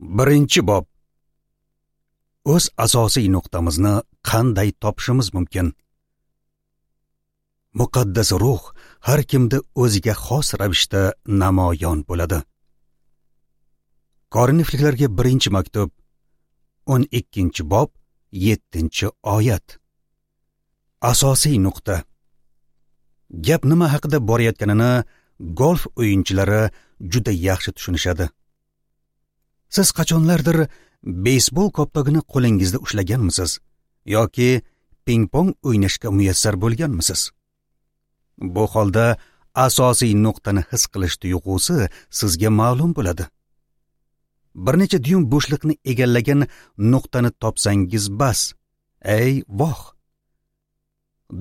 Birinchi bob. O'z asosiy nuqtamizni qanday topishimiz mumkin? Muqaddas ruh har kimda o'ziga xos ravishda namoyon bo'ladi. Korinfliklarga 1-maktub, 12-bob, 7-oyat. Asosiy nuqta. Gap nima haqida borayotganini golf o'yinchilari juda yaxshi tushunishadi. Siz qachonlardir beysbol koptogini qo'lingizda ushlaganmisiz yoki ping-pong o'ynashga muyassar bo'lganmisiz? Bu holda asosiy nuqtani his qilish tuyg'usi sizga ma'lum bo'ladi. Bir necha dyum bo'shliqni egallagan nuqtani topsangiz bas. Ey voh!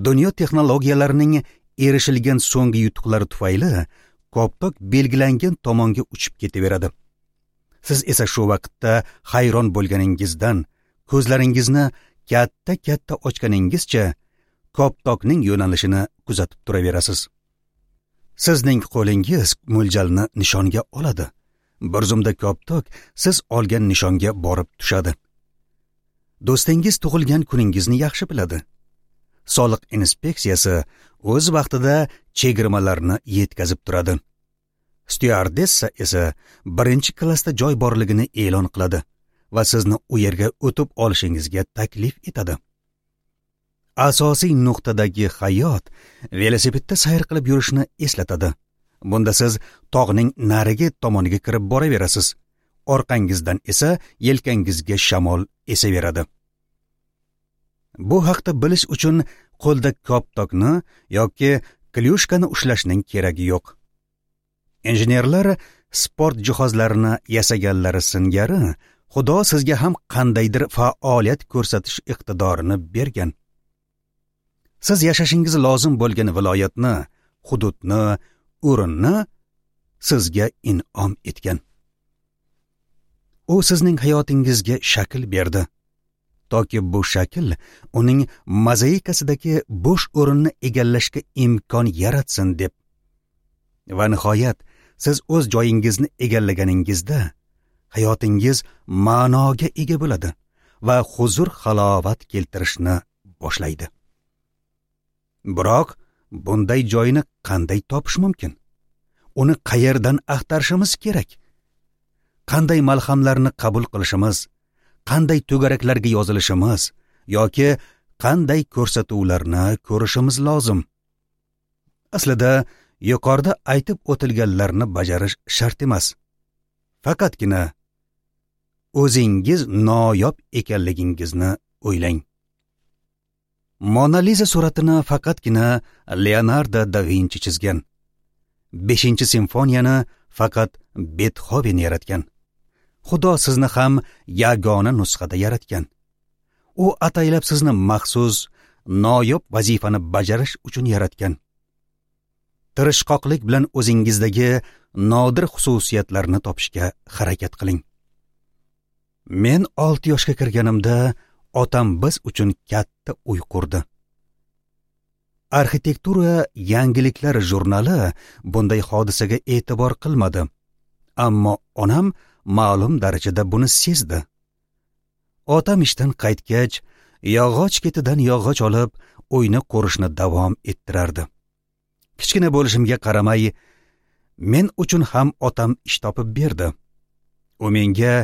Dunyo texnologiyalarining erishilgan so'nggi yutuqlari tufayli koptok belgilangan tomonga uchib ketaveradi. Siz esa shu vaqtda hayron bo'lganingizdan ko'zlaringizni katta-katta ochganingizcha koptokning yo'nalishini kuzatib turaverasiz. Sizning qo'lingiz mo'ljalni nishonga oladi. Bir zumda koptok siz olgan nishonga borib tushadi. Do'stingiz tug'ilgan kuningizni yaxshi biladi. Soliq inspeksiyasi o'z vaqtida chegirmalarni yetkazib turadi. Styuardessa esa birinchi klassda joy borligini e'lon qiladi va sizni u yerga o'tib olishingizga taklif etadi. Asosiy nuqtadagi hayot velosipedda sayr qilib yurishni eslatadi. Bunda siz tog'ning narigi tomoniga kirib boraverasiz. Orqangizdan esa yelkangizga shamol esaveradi. Bu haqda bilish uchun qo'lda koptokni yoki klyushkani ushlashning keragi yo'q. Injenerlar sport jihozlarini yasaganlari singari Xudo sizga ham qandaydir faoliyat ko'rsatish iqtidorini bergan. Siz yashashingiz lozim bo'lgan viloyatni, hududni, o'rinni sizga in'om etgan. U sizning hayotingizga shakl berdi. Toki bu shakl uning mozaikasidagi bo'sh o'rinni egallashga imkon yaratsin deb. Va nihoyat siz o'z joyingizni egallaganingizda hayotingiz ma'noga ega bo'ladi va huzur halovat keltirishni boshlaydi. Biroq bunday joyni qanday topish mumkin? Uni qayerdan axtarishimiz kerak? Qanday malhamlarni qabul qilishimiz, qanday to'garaklarga yozilishimiz yoki qanday ko'rsatuvlarni ko'rishimiz lozim? Aslida yuqorida aytib o'tilganlarni bajarish shart emas. Faqatgina o'zingiz noyob ekanligingizni o'ylang. Mona Liza suratini faqatgina Leonardo da Vinchi chizgan. 5-simfoniyani faqat Betxoven yaratgan. Xudo sizni ham yagona nusxada yaratgan. U ataylab sizni maxsus noyob vazifani bajarish uchun yaratgan. Tirishqoqlik bilan o'zingizdagi nodir xususiyatlarni topishga harakat qiling. Men 6 yoshga kirganimda otam biz uchun katta uy qurdi. Arxitektura yangiliklar jurnali bunday hodisaga e'tibor qilmadi. Ammo onam ma'lum darajada buni sezdi. Otam ishdan qaytgach, yog'och ketidan yog'och olib, uyni qurishni davom ettirardi. Kichkina bo'lishimga qaramay, men uchun ham otam ish topib berdi. U menga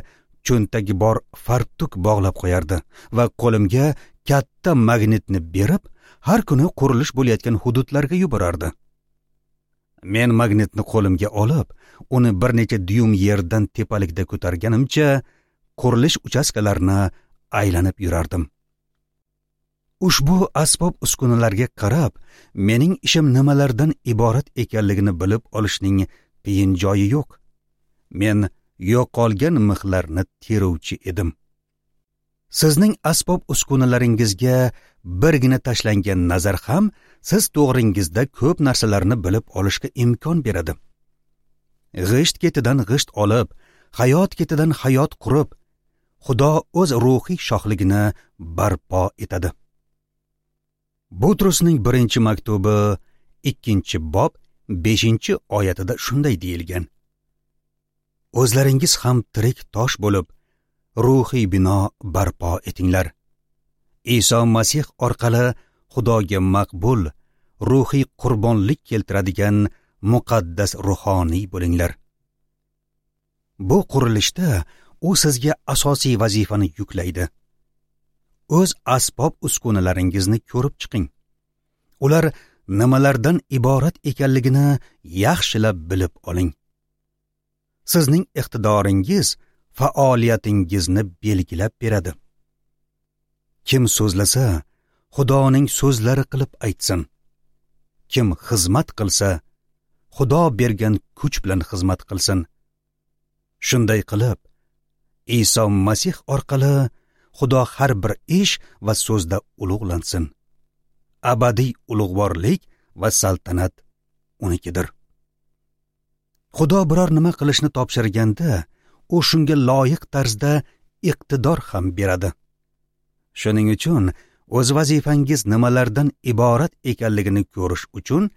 cho'ntagi bor fartuk bog'lab qo'yardi va qo'limga katta magnitni berib, har kuni qurilish bo'layotgan hududlarga yuborardi. Men magnitni qo'limga olib, uni bir necha dyum yerdan tepalikda ko'targanimcha, qurilish uchastkalarini aylanib yurardim. Ushbu asbob uskunalarga qarab, mening ishim nimalardan iborat ekanligini bilib olishning qiyin joyi yo'q. Men yo'qolgan mixlarni teruvchi edim. Sizning asbob uskunalaringizga birgina tashlangan nazar ham siz to'g'ringizda ko'p narsalarni bilib olishga imkon beradi. G'isht ketidan g'isht olib, hayot ketidan hayot qurib, Xudo o'z ruhiy shohligini barpo etadi. Butrusning 1-maktubi 2-bob 5-oyatida shunday deyilgan: o'zlaringiz ham tirik tosh bo'lib, ruhiy bino barpo etinglar. Iso Masih orqali Xudoga maqbul ruhiy qurbonlik keltiradigan muqaddas ruhoniy bo'linglar. Bu qurilishda u sizga asosiy vazifani yuklaydi. O'z asbob uskunalaringizni ko'rib chiqing. Ular nimalardan iborat ekanligini yaxshilab bilib oling. Sizning iqtidoringiz faoliyatingizni belgilab beradi. Kim so'zlasa, Xudoning so'zlari qilib aytsin. Kim xizmat qilsa, Xudo bergan kuch bilan xizmat qilsin. Shunday qilib, Iso Masih orqali Xudo har bir ish va so'zda ulug'lansin. Abadiy ulug'vorlik va saltanat unikidir. Xudo biror nima qilishni topshirganda, u shunga loyiq tarzda iqtidor ham beradi. Shuning uchun o'z vazifangiz nimalardan iborat ekanligini ko'rish uchun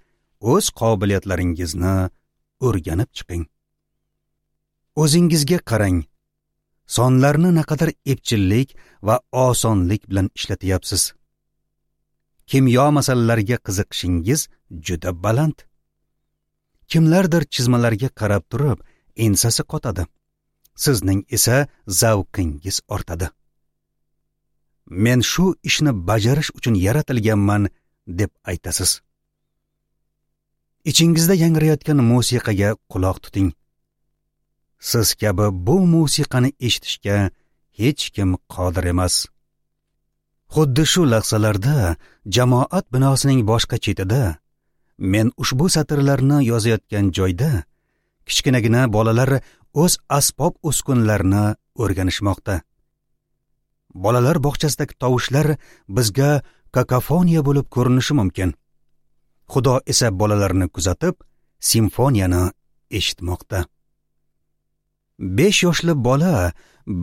o'z qobiliyatlaringizni o'rganib chiqing. O'zingizga qarang. Sonlarni naqadar epchillik va osonlik bilan ishlatyapsiz. Kimyo masalalariga qiziqishingiz juda baland. Kimlardir chizmalarga qarab turib, ensasi qotadi. Sizning esa zavqingiz ortadi. Men shu ishni bajarish uchun yaratilganman deb aytasiz. Ichingizda yangrayotgan musiqaga quloq tuting. Siz kabi bu musiqani eshitishga hech kim qodir emas. Xuddi shu lahzalarda jamoat binosining boshqa chetida men ushbu satrlarni yozayotgan joyda kichkinagina bolalar o'z asbob uskunalarini o'rganishmoqda. Bolalar bog'chasidagi tovushlar bizga kakofoniya bo'lib ko'rinishi mumkin. Xudo esa bolalarni kuzatib, simfoniyani eshitmoqda. 5 yoshli bola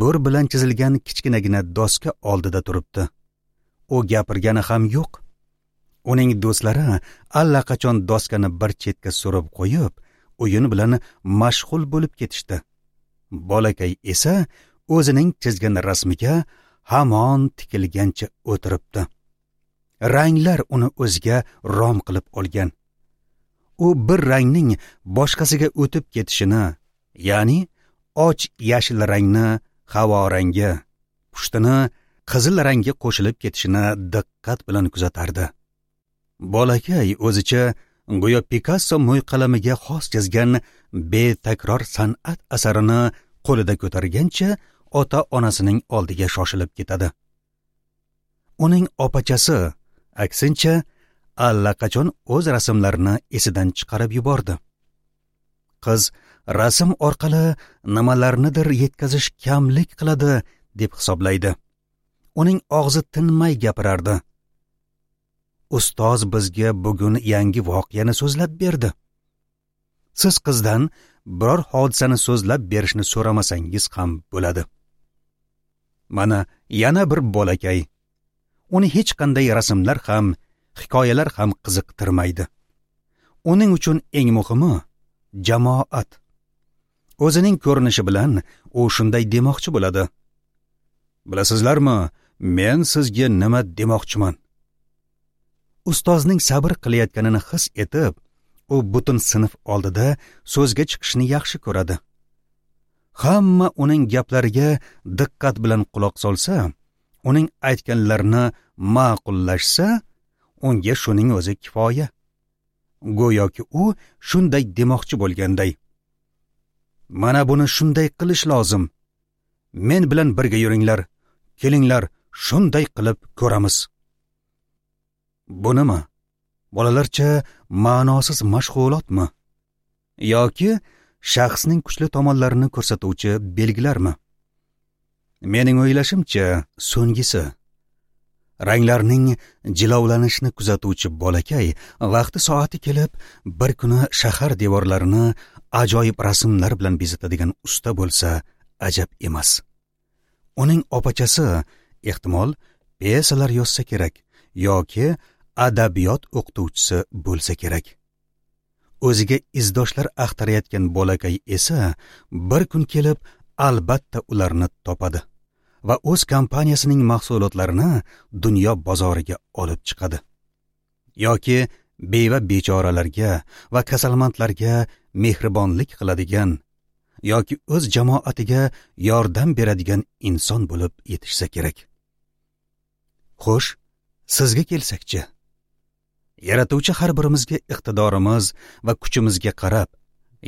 bo'r bilan chizilgan kichkinagina doska oldida turibdi. U gapirgani ham yo'q. Uning do'stlari allaqachon doskani bir chetga surib qo'yib, o'yin bilan mashg'ul bo'lib ketishdi. Bolakay esa o'zining chizgan rasmiga hamon tikilgancha o'tiribdi. Ranglar uni o'ziga rom qilib olgan. U bir rangning boshqasiga o'tib ketishini, ya'ni och yashil rangni havo rangi, pushtini qizil rangga qo'shilib ketishini diqqat bilan kuzatardi. Bolakay o'zicha go'yo Pikasso mo'yqalamiga xos chizgan betakror san'at asarini qo'lida ko'targancha ota-onasining oldiga shoshilib ketadi. Uning opachasi aksincha allaqachon o'z rasmlarini esidan chiqarib yubordi. Qiz rasm orqali nimalarnidir yetkazish kamlik qiladi deb hisoblaydi. Uning og'zi tinmay gapirardi. Ustoz bizga bugun yangi voqeani so'zlab berdi. Siz qizdan biror hodisani so'zlab berishni so'ramasangiz ham bo'ladi. Mana yana bir bolakay. Uni hech qanday rasmlar ham, hikoyalar ham qiziqtirmaydi. Uning uchun eng muhimi jamoat. O'zining ko'rinishi bilan u shunday demoqchi bo'ladi. Bilasizlarmi, men sizga nima demoqchiman? Ustozning sabr qilayotganini his etib, u butun sinf oldida so'zga chiqishni yaxshi ko'radi. Hamma uning gaplariga diqqat bilan quloq solsa, uning aytganlarini ma'qullashsa, unga shuning o'zi kifoya. Go'yoki u shunday demoqchi bo'lganday. Mana buni shunday qilish lozim. Men bilan birga yuringlar. Kelinglar, shunday qilib ko'ramiz. Bu nima? Bolalarcha ma'nosiz mashg'ulotmi? Yoki shaxsning kuchli tomonlarini ko'rsatuvchi belgilarmi? Mening o'ylashimcha, so'ngisi. Ranglarning jilovlanishini kuzatuvchi bolakay vaqti soati kelib, bir kuni shahar devorlarini ajoyib rasmlar bilan bezatadigan usta bo'lsa, ajab emas. Uning opachasi ehtimol pyesalar yozsa kerak yoki adabiyot o'qituvchisi bo'lsa kerak. O'ziga izdoshlar axtarayotgan bolakay esa bir kun kelib albatta ularni topadi va o'z kompaniyasining mahsulotlarini dunyo bozoriga olib chiqadi. Yoki beva bechoralarga va kasalmandlarga mehribonlik qiladigan yoki o'z jamoatiga yordam beradigan inson bo'lib yetishsa kerak. Xo'sh, sizga kelsakchi, Yaratuvchi har birimizga iqtidorimiz va kuchimizga qarab,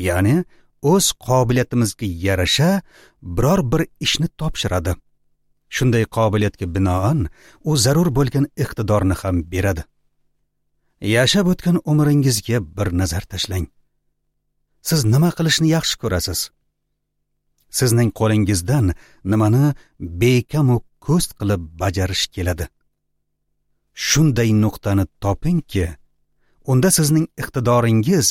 ya'ni o'z qobiliyatimizga yarasha biror bir ishni topshiradi. Shunday qobiliyatga binoan u zarur bo'lgan iqtidorni ham beradi. Yashab o'tgan umringizga bir nazar tashlang. Siz nima qilishni yaxshi ko'rasiz? Sizning qo'lingizdan nimani bekamu ko'st qilib bajarish keladi? Shunday nuqtani topingki, unda sizning iqtidoringiz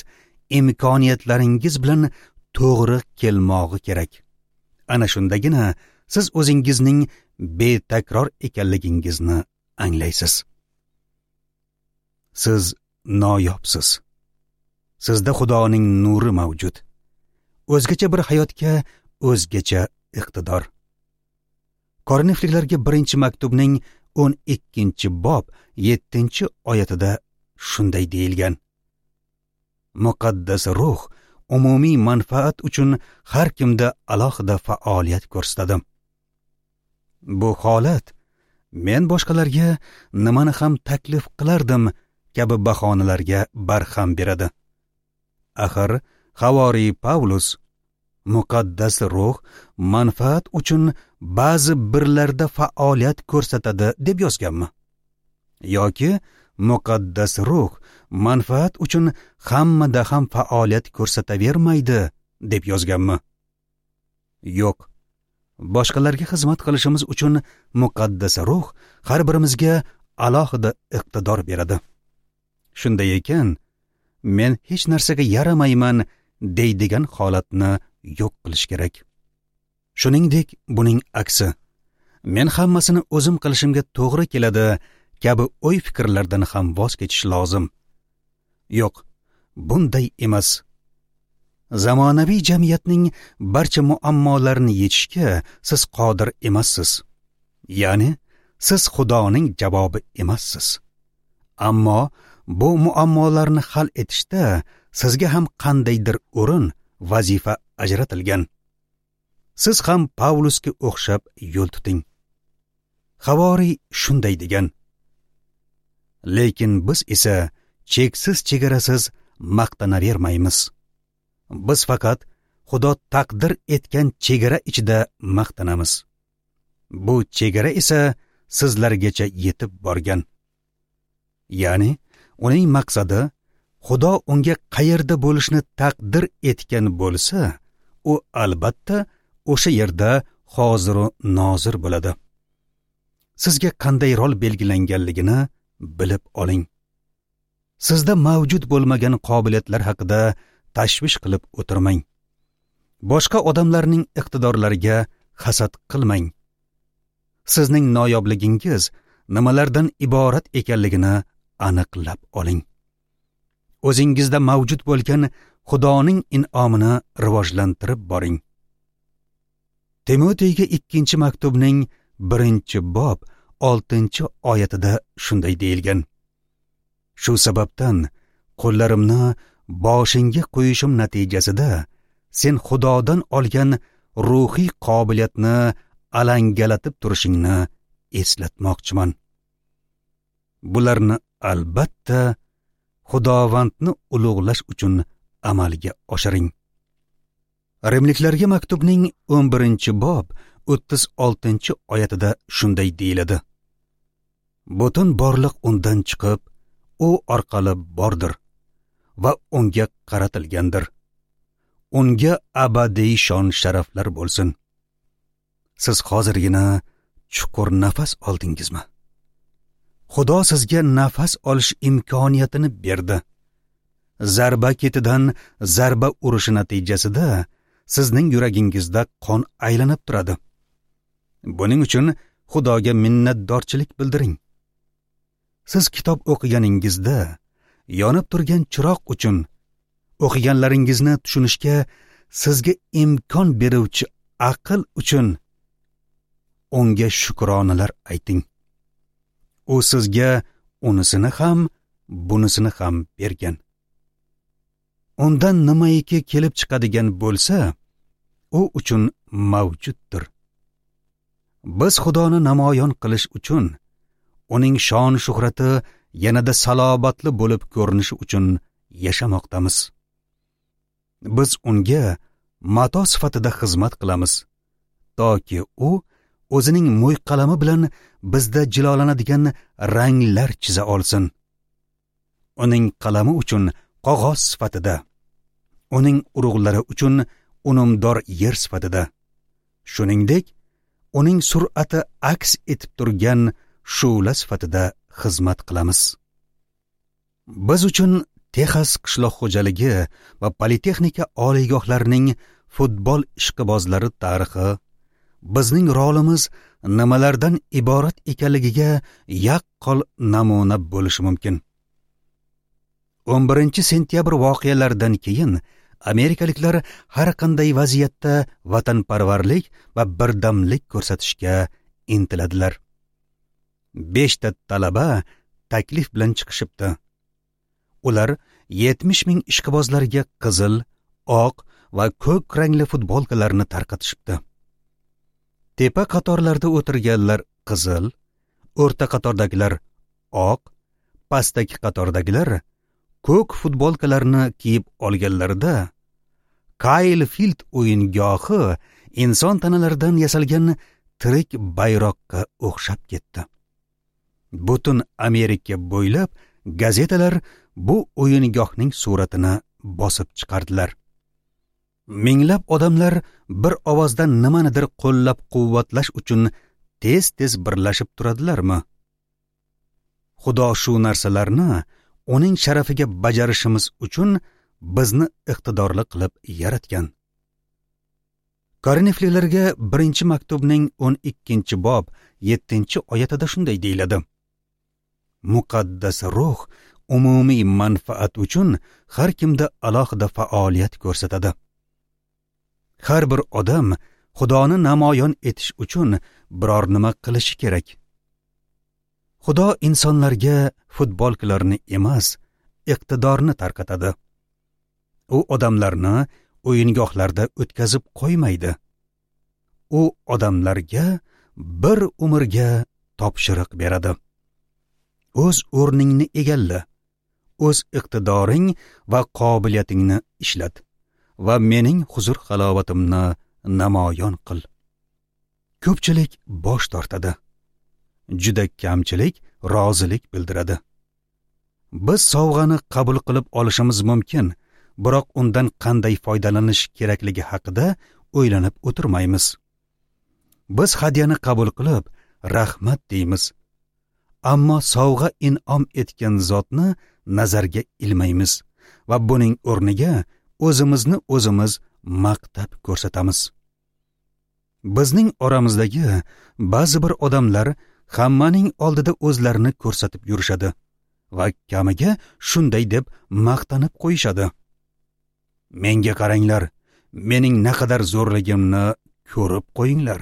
imkoniyatlaringiz bilan to'g'ri kelmog'i kerak. Ana shundagina siz o'zingizning betakror ekanligingizni anglaysiz. Siz noyobsiz. Sizda Xudoning nuri mavjud. O'zgacha bir hayotga o'zgacha iqtidor. Korinfliklarga 1-maktubning 12-bob 7-oyatida shunday deyilgan: Muqaddas ruh umumiy manfaat uchun har kimda alohida faoliyat ko'rsatadi. Bu holat men boshqalarga nimani ham taklif qilardim kabi bahonalarga barham beradi. Axir Havoriy Pavlus muqaddas ruh manfaat uchun ba'zi birlarda faoliyat ko'rsatadi deb yozganmi? Yoki muqaddas ruh manfaat uchun hammada ham faoliyat ko'rsatavermaydi deb yozganmi? Yo'q. Boshqalarga xizmat qilishimiz uchun muqaddas ruh har birimizga alohida iqtidor beradi. Shunday ekan, men hech narsaga yaramayman deydigan holatni yo'q qilish kerak. Shuningdek, buning aksi, men hammasini o'zim qilishimga to'g'ri keladi kabi o'y-fikrlardan ham voz kechish lozim. Yo'q, bunday emas. Zamonaviy jamiyatning barcha muammolarini yechishga siz qodir emassiz. Ya'ni siz Xudoning javobi emassiz. Ammo bu muammolarni hal etishda sizga ham qandaydir o'rin, vazifa ajratilgan. Siz ham Pavlusga o'xshab yo'l tuting. Havoriy shunday degan: Lekin biz esa cheksiz chegarasiz maqtanavermaymiz. Biz faqat Xudo taqdir etgan chegara ichida maqtanamiz. Bu chegara esa sizlargacha yetib borgan. Ya'ni uning maqsadi Xudo unga qayerda bo'lishni taqdir etgan bo'lsa, u albatta o'sha yerda hozir va nozir bo'ladi. Sizga qanday rol belgilanganligini bilib oling. Sizda mavjud bo'lmagan qobiliyatlar haqida tashvish qilib o'tirmang. Boshqa odamlarning iqtidorlariga hasad qilmang. Sizning noyobligingiz nimalardan iborat ekanligini aniqlab oling. O'zingizda mavjud bo'lgan Xudoning in'omini rivojlantirib boring. Timoteyga 2-maktubning 1-bob 6-oyatida shunday deyilgan: Shu sababdan qo'llarimni boshingga qo'yishim natijasida sen Xudodan olgan ruhiy qobiliyatni alangalatib turishingni eslatmoqchiman. Bularni albatta Xudovandni ulug'lash uchun amalga oshiring. Rimliklarga maktubning 11-bob 36-oyatida shunday deyiladi: Butun borliq undan chiqib, u orqali bordir va unga qaratilgandir. Unga abadiy shon sharaflar bo'lsin. Siz hozirgina chuqur nafas oldingizmi? Xudo sizga nafas olish imkoniyatini berdi. Zarba ketidan zarba urishi natijasida sizning yuragingizda qon aylanib turadi. Buning uchun Xudoga minnatdorchilik bildiring. Siz kitob o'qiganingizda yonib turgan chiroq uchun, O'qiganlaringizni tushunishga sizga imkon beruvchi aql uchun unga shukronalar ayting. U sizga unisini ham, bunisini ham bergan. Undan nimaiki kelib chiqadigan bo'lsa, u uchun mavjuddir. Biz Xudoni namoyon qilish uchun, uning shon shuhrati yanada salobatli bo'lib ko'rinishi uchun yashamoqdamiz. Biz unga mato sifatida xizmat qilamiz, toki u o'zining mo'yqalami bilan bizda jilolanadigan ranglar chiza olsin. Uning qalami uchun qog'oz sifatida, uning urug'lari uchun unumdor yer sifatida, shuningdek, uning sur'ati aks etib turgan shu'la sifatida xizmat qilamiz. Biz uchun Texas qishloq xo'jaligi va politexnika oliygohlarining futbol ishqibozlari tarixi bizning rolimiz nimalardan iborat ekanligiga yaqqol namuna bo'lishi mumkin. 11 sentyabr voqealaridan keyin amerikaliklar har qanday vaziyatda vatanparvarlik va birdamlik ko'rsatishga intiladilar. 5 ta talaba taklif bilan chiqishibdi. Ular 70 ming ishqibozlarga qizil, oq va ko'k rangli futbolkalarni tarqatishibdi. Tepa qatorlarda o'tirganlar qizil, o'rta qatordagilar oq, pastdagi qatordagilar ko'k futbolkalarni kiyib olganlarida Kayl Field o'yingohi inson tanalaridan yasalgan tirik bayroqqa o'xshab ketdi. Butun Amerika bo'ylab gazetalar bu o'yingohning suratini bosib chiqardilar. Minglab odamlar bir ovozdan nimanidir qo'llab-quvvatlash uchun tez-tez birlashib turadilarmi? Xudo shu narsalarni uning sharafiga bajarishimiz uchun bizni iqtidorli qilib yaratgan. Korinfliklarga 1-maktubning 12-bob 7-oyatida shunday deyiladi: Muqaddas ruh umumiy manfaat uchun har kimda alohida faoliyat ko'rsatadi. Har bir odam Xudoni namoyon etish uchun biror nima qilishi kerak. Xudo insonlarga futbolkalarni emas, iqtidorni tarqatadi. U odamlarni o'yingohlarda o'tkazib qo'ymaydi. U odamlarga bir umrga topshiriq beradi. O'z o'rningni egalla, o'z iqtidoring va qobiliyatingni ishlat va mening huzur halovatimni namoyon qil. Ko'pchilik bosh tortadi. Juda kamchilik rozilik bildiradi. Biz sovg'ani qabul qilib olishimiz mumkin, biroq undan qanday foydalanish kerakligi haqida o'ylanib o'tirmaymiz. Biz hadyani qabul qilib, rahmat deymiz. Ammo sovg'a in'om etgan zotni nazarga ilmaymiz va buning o'rniga o'zimizni o'zimiz maqtab ko'rsatamiz. Bizning oramizdagi ba'zi bir odamlar hammaning oldida o'zlarini ko'rsatib yurishadi va kamiga shunday deb maqtanib qo'yishadi: Menga qaranglar, mening naqadar zo'rligimni ko'rib qo'yinglar.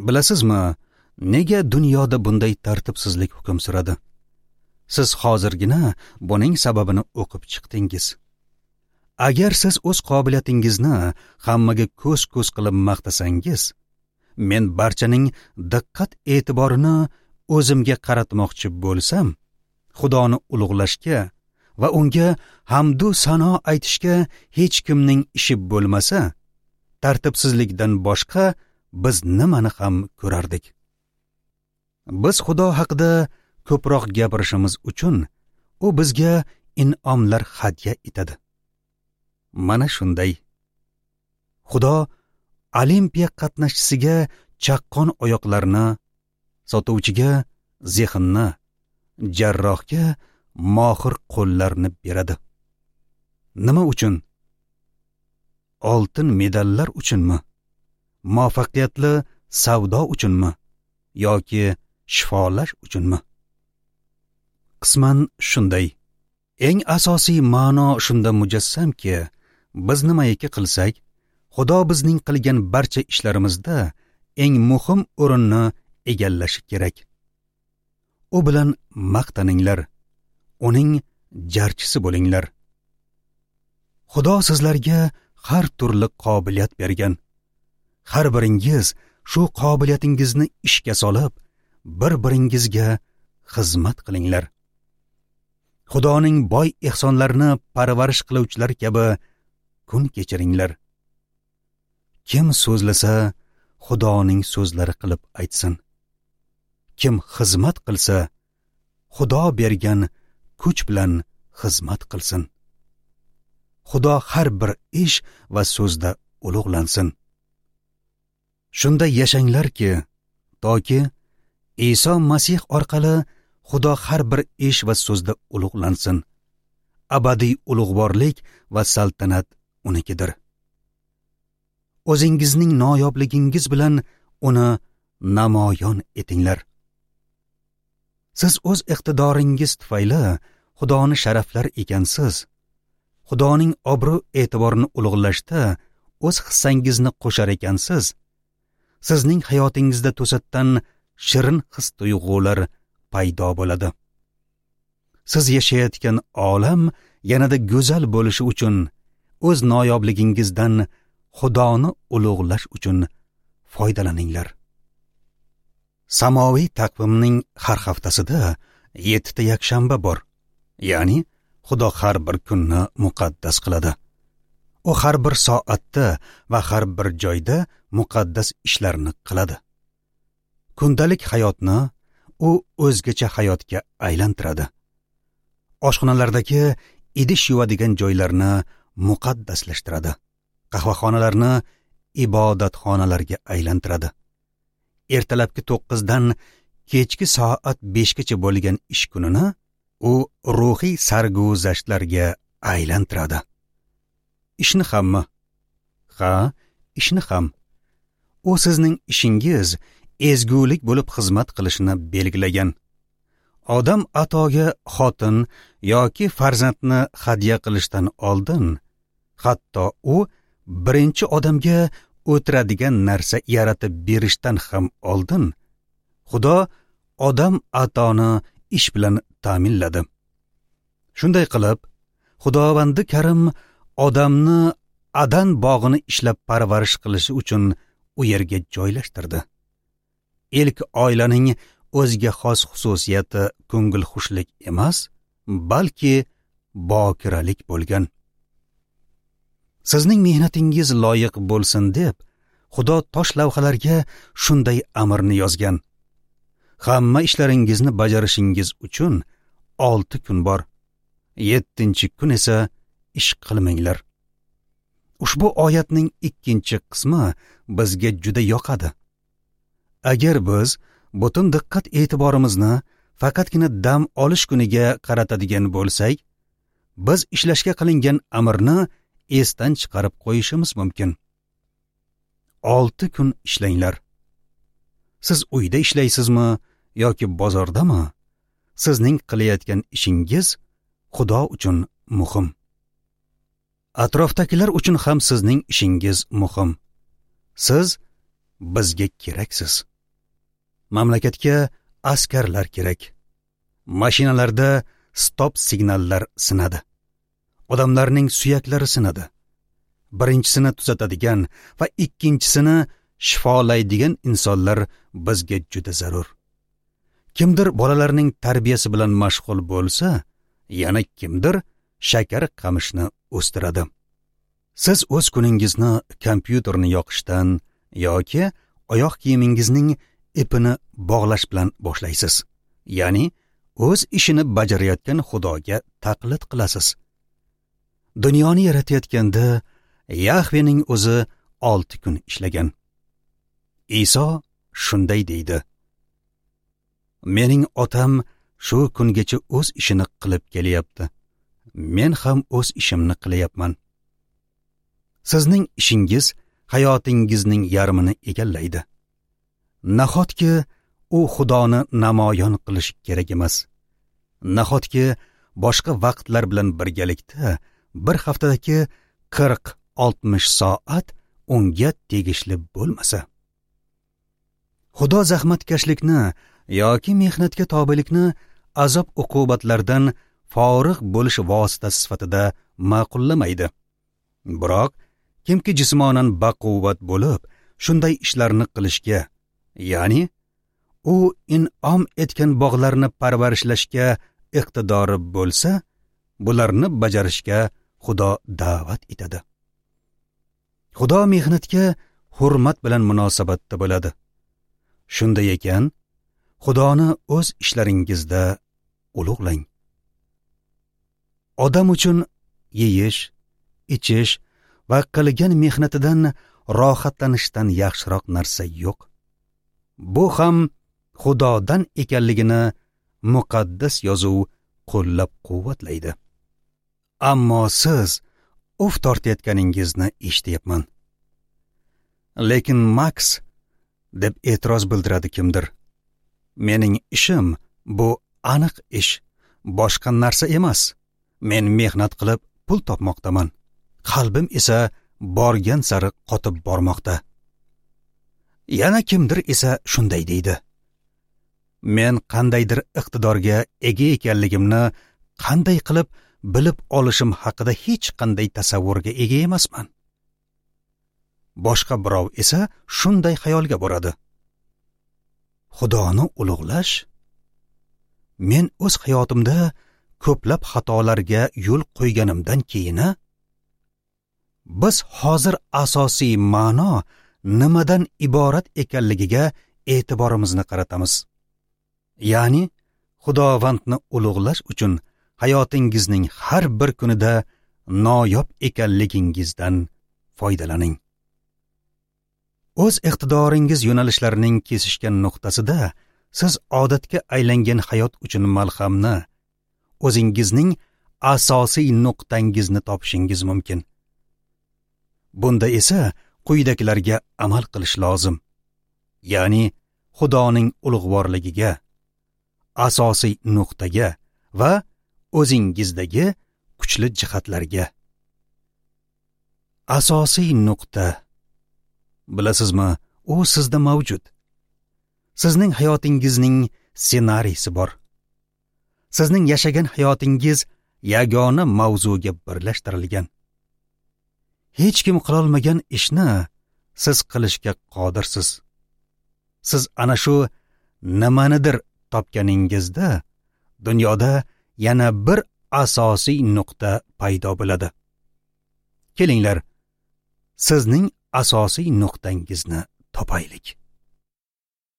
Bilasizmi, nega dunyoda bunday tartibsizlik hukm suradi? Siz hozirgina buning sababini o'qib chiqdingiz. Agar siz o'z qobiliyatingizni hammaga ko'z-ko'z qilib maqtasangiz, men barchaning diqqat e'tiborini o'zimga qaratmoqchi bo'lsam, Xudoni ulug'lashga va unga hamdu sano aytishga hech kimning ishi bo'lmasa, tartibsizlikdan boshqa biz nimani ham ko'rardik? Biz Xudo haqida ko'proq gapirishimiz uchun u bizga in'omlar hadya etadi. Mana shunday. Xudo Olimpiya qatnashchisiga chaqqon oyoqlarni, sotuvchiga zehnni, jarrohga mohir qo'llarni beradi. Nima uchun? Oltin medallar uchunmi? Muvaffaqiyatli savdo uchunmi? Yoki shifolash uchunmi? Qisman shunday. Eng asosiy ma'no shunda mujassamki, biz nimaiki qilsak, Xudo bizning qilgan barcha ishlarimizda eng muhim o'rinni egallashi kerak. U bilan maqtaninglar, uning jarchisi bo'linglar. Xudo sizlarga har turli qobiliyat bergan. Har biringiz shu qobiliyatingizni ishga solib, bir-biringizga xizmat qilinglar. Xudoning boy ehsonlarini parvarish qiluvchilar kabi kun kechiringlar. Kim so'zlasa, Xudoning so'zlari qilib aytsin. Kim xizmat qilsa, Xudo bergan kuch bilan xizmat qilsin. Xudo har bir ish va so'zda ulug'lansin. Shunda yashanglarki, toki Iso Masih orqali Xudo har bir ish va so'zda ulug'lansin. Abadiy ulug'vorlik va saltanat unikidir. O'zingizning noyobligingiz bilan uni namoyon etinglar. Siz o'z iqtidoringiz tufayli Xudoni sharaflar ekansiz. Xudoning obro' e'tiborini ulug'lashda o'z hissangizni qo'shar ekansiz. Sizning hayotingizda to'satdan shirin his-tuyg'ular paydo bo'ladi. Siz yashayotgan olam yanada go'zal bo'lishi uchun o'z noyob-ligingizdan Xudoni ulug'lash uchun foydalaninglar. Samoviy taqvimning har haftasida 7 ta yakshanba bor. Ya'ni Xudo har bir kunni muqaddas qiladi. U har bir soatda va har bir joyda muqaddas ishlarni qiladi. Kundalik hayotni u o'zgacha hayotga aylantiradi. Oshxonalardagi idish yuvadigan joylarni muqaddaslashtiradi. Qahvaxonalarni ibodatxonalarga aylantiradi. Ertalabki 9 dan kechki soat 5 gacha bo'lgan ish kunini u ruhiy sarguzashtlarga aylantiradi. Ishni hammi? Ha, ishni ham. U sizning ishingiz ezgulik bo'lib xizmat qilishini belgilagan. Odam atoga xotin yoki farzandni hadya qilishdan oldin, hatto u birinchi odamga o'tiradigan narsa yaratib berishdan ham oldin, Xudo odam atoni ish bilan ta'minladi. Shunday qilib, Xudovandi Karim odamni Adan bog'ini ishlab parvarish qilishi uchun u yerga joylashtirdi. Ilk oilaning o'ziga xos xususiyati ko'ngilxushlik emas, balki bokiralik bo'lgan. Sizning mehnatingiz loyiq bo'lsin deb Xudo tosh lavhalarga shunday amrni yozgan. Hamma ishlaringizni bajarishingiz uchun 6 kun bor. 7-kun esa ish qilmanglar. Ushbu oyatning 2-qismi bizga juda yoqadi. Agar biz butun diqqat e'tiborimizni faqatgina dam olish kuniga qaratadigan bo'lsak, biz ishlashga qilingan amrni esdan chiqarib qo'yishimiz mumkin. 6 kun ishlanglar. Siz uyda ishlaysizmi yoki bozordami? Sizning qilayotgan ishingiz Xudo uchun muhim. Atrofdagilar uchun ham sizning ishingiz muhim. Siz bizga keraksiz. Mamlakatga askarlar kerak. Mashinalarda stop signallar sinadi. Odamlarning suyaklari sinadi. Birinchisini tuzatadigan va ikkinchisini shifolaydigan insonlar bizga juda zarur. Kimdir bolalarning tarbiyasi bilan mashg'ul bo'lsa, yana kimdir shakar qamishni o'stiradi. Siz o'z kuningizni kompyuterni yoqishdan yoki oyoq kiyimingizning ipini bog'lash bilan boshlaysiz. Ya'ni o'z ishini bajarayotgan Xudoga taqlid qilasiz. Dunyoni yaratayotganda Yahvening o'zi 6 kun ishlagan. Iso shunday deydi: Mening otam shu kungacha o'z ishini qilib kelyapti. Men ham o'z ishimni qilyapman. Sizning ishingiz hayotingizning yarmini egallaydi. Nahotki u Xudoni namoyon qilish kerak emas? Nahotki boshqa vaqtlar bilan birgalikda bir haftadagi 40-60 soat unga tegishli bo'lmasa. Xudo zahmatkashlikni yoki mehnatga tobelikni azob uqubatlardan forig' bo'lish vositasi sifatida ma'qullamaydi. Biroq kimki jismonan baquvvat bo'lib, shunday ishlarni qilishga, ya'ni u in'om etgan bog'larni parvarishlashga iqtidori bo'lsa, bularni bajarishga Xudo da'vat etadi. Xudo mehnatga hurmat bilan munosabatda bo'ladi. Shunday ekan, Xudoni o'z ishlaringizda ulug'lang. Odam uchun yeyish, ichish va qilgan mehnatidan rohatlanishdan yaxshiroq narsa yo'q. Bu ham Xudodan ekanligini muqaddas yozuv qo'llab-quvvatlaydi. Ammo siz uf tortayotganingizni eshityapman. Lekin Max, deb e'tiroz bildiradi kimdir, mening ishim bu aniq ish, boshqa narsa emas. Men mehnat qilib pul topmoqdaman. Qalbim esa borgan sari qotib bormoqda. Yana kimdir esa shunday deydi: Men qandaydir iqtidorga ega ekanligimni qanday qilib bilib olishim haqida hech qanday tasavvurga ega emasman. Boshqa birov esa shunday xayolga boradi: Xudoni ulug'lash? Men o'z hayotimda ko'plab xatolarga yo'l qo'yganimdan keyin biz hozir asosiy ma'no nimadan iborat ekanligiga e'tiborimizni qaratamiz. Ya'ni Xudovandni ulug'lash uchun hayotingizning har bir kunida noyob ekanligingizdan foydalaning. O'z iqtidoringiz yo'nalishlarining kesishgan nuqtasida siz odatga aylangan hayot uchun malhamni, o'zingizning asosiy nuqtangizni topishingiz mumkin. Bunda esa quyidagilarga amal qilish lozim. Ya'ni Xudoning ulug'vorligiga, asosiy nuqtaga va o'zingizdagi kuchli jihatlarga. Asosiy nuqta, bilasizmi, u sizda mavjud. Sizning hayotingizning ssenariysi bor. Sizning yashagan hayotingiz yagona mavzuga birlashtirilgan. Hech kim qilolmagan ishni siz qilishga qodirsiz. Siz ana shu nimanidir topganingizda dunyoda yana bir asosiy nuqta paydo bo'ladi. Kelinglar, sizning asosiy nuqtangizni topaylik.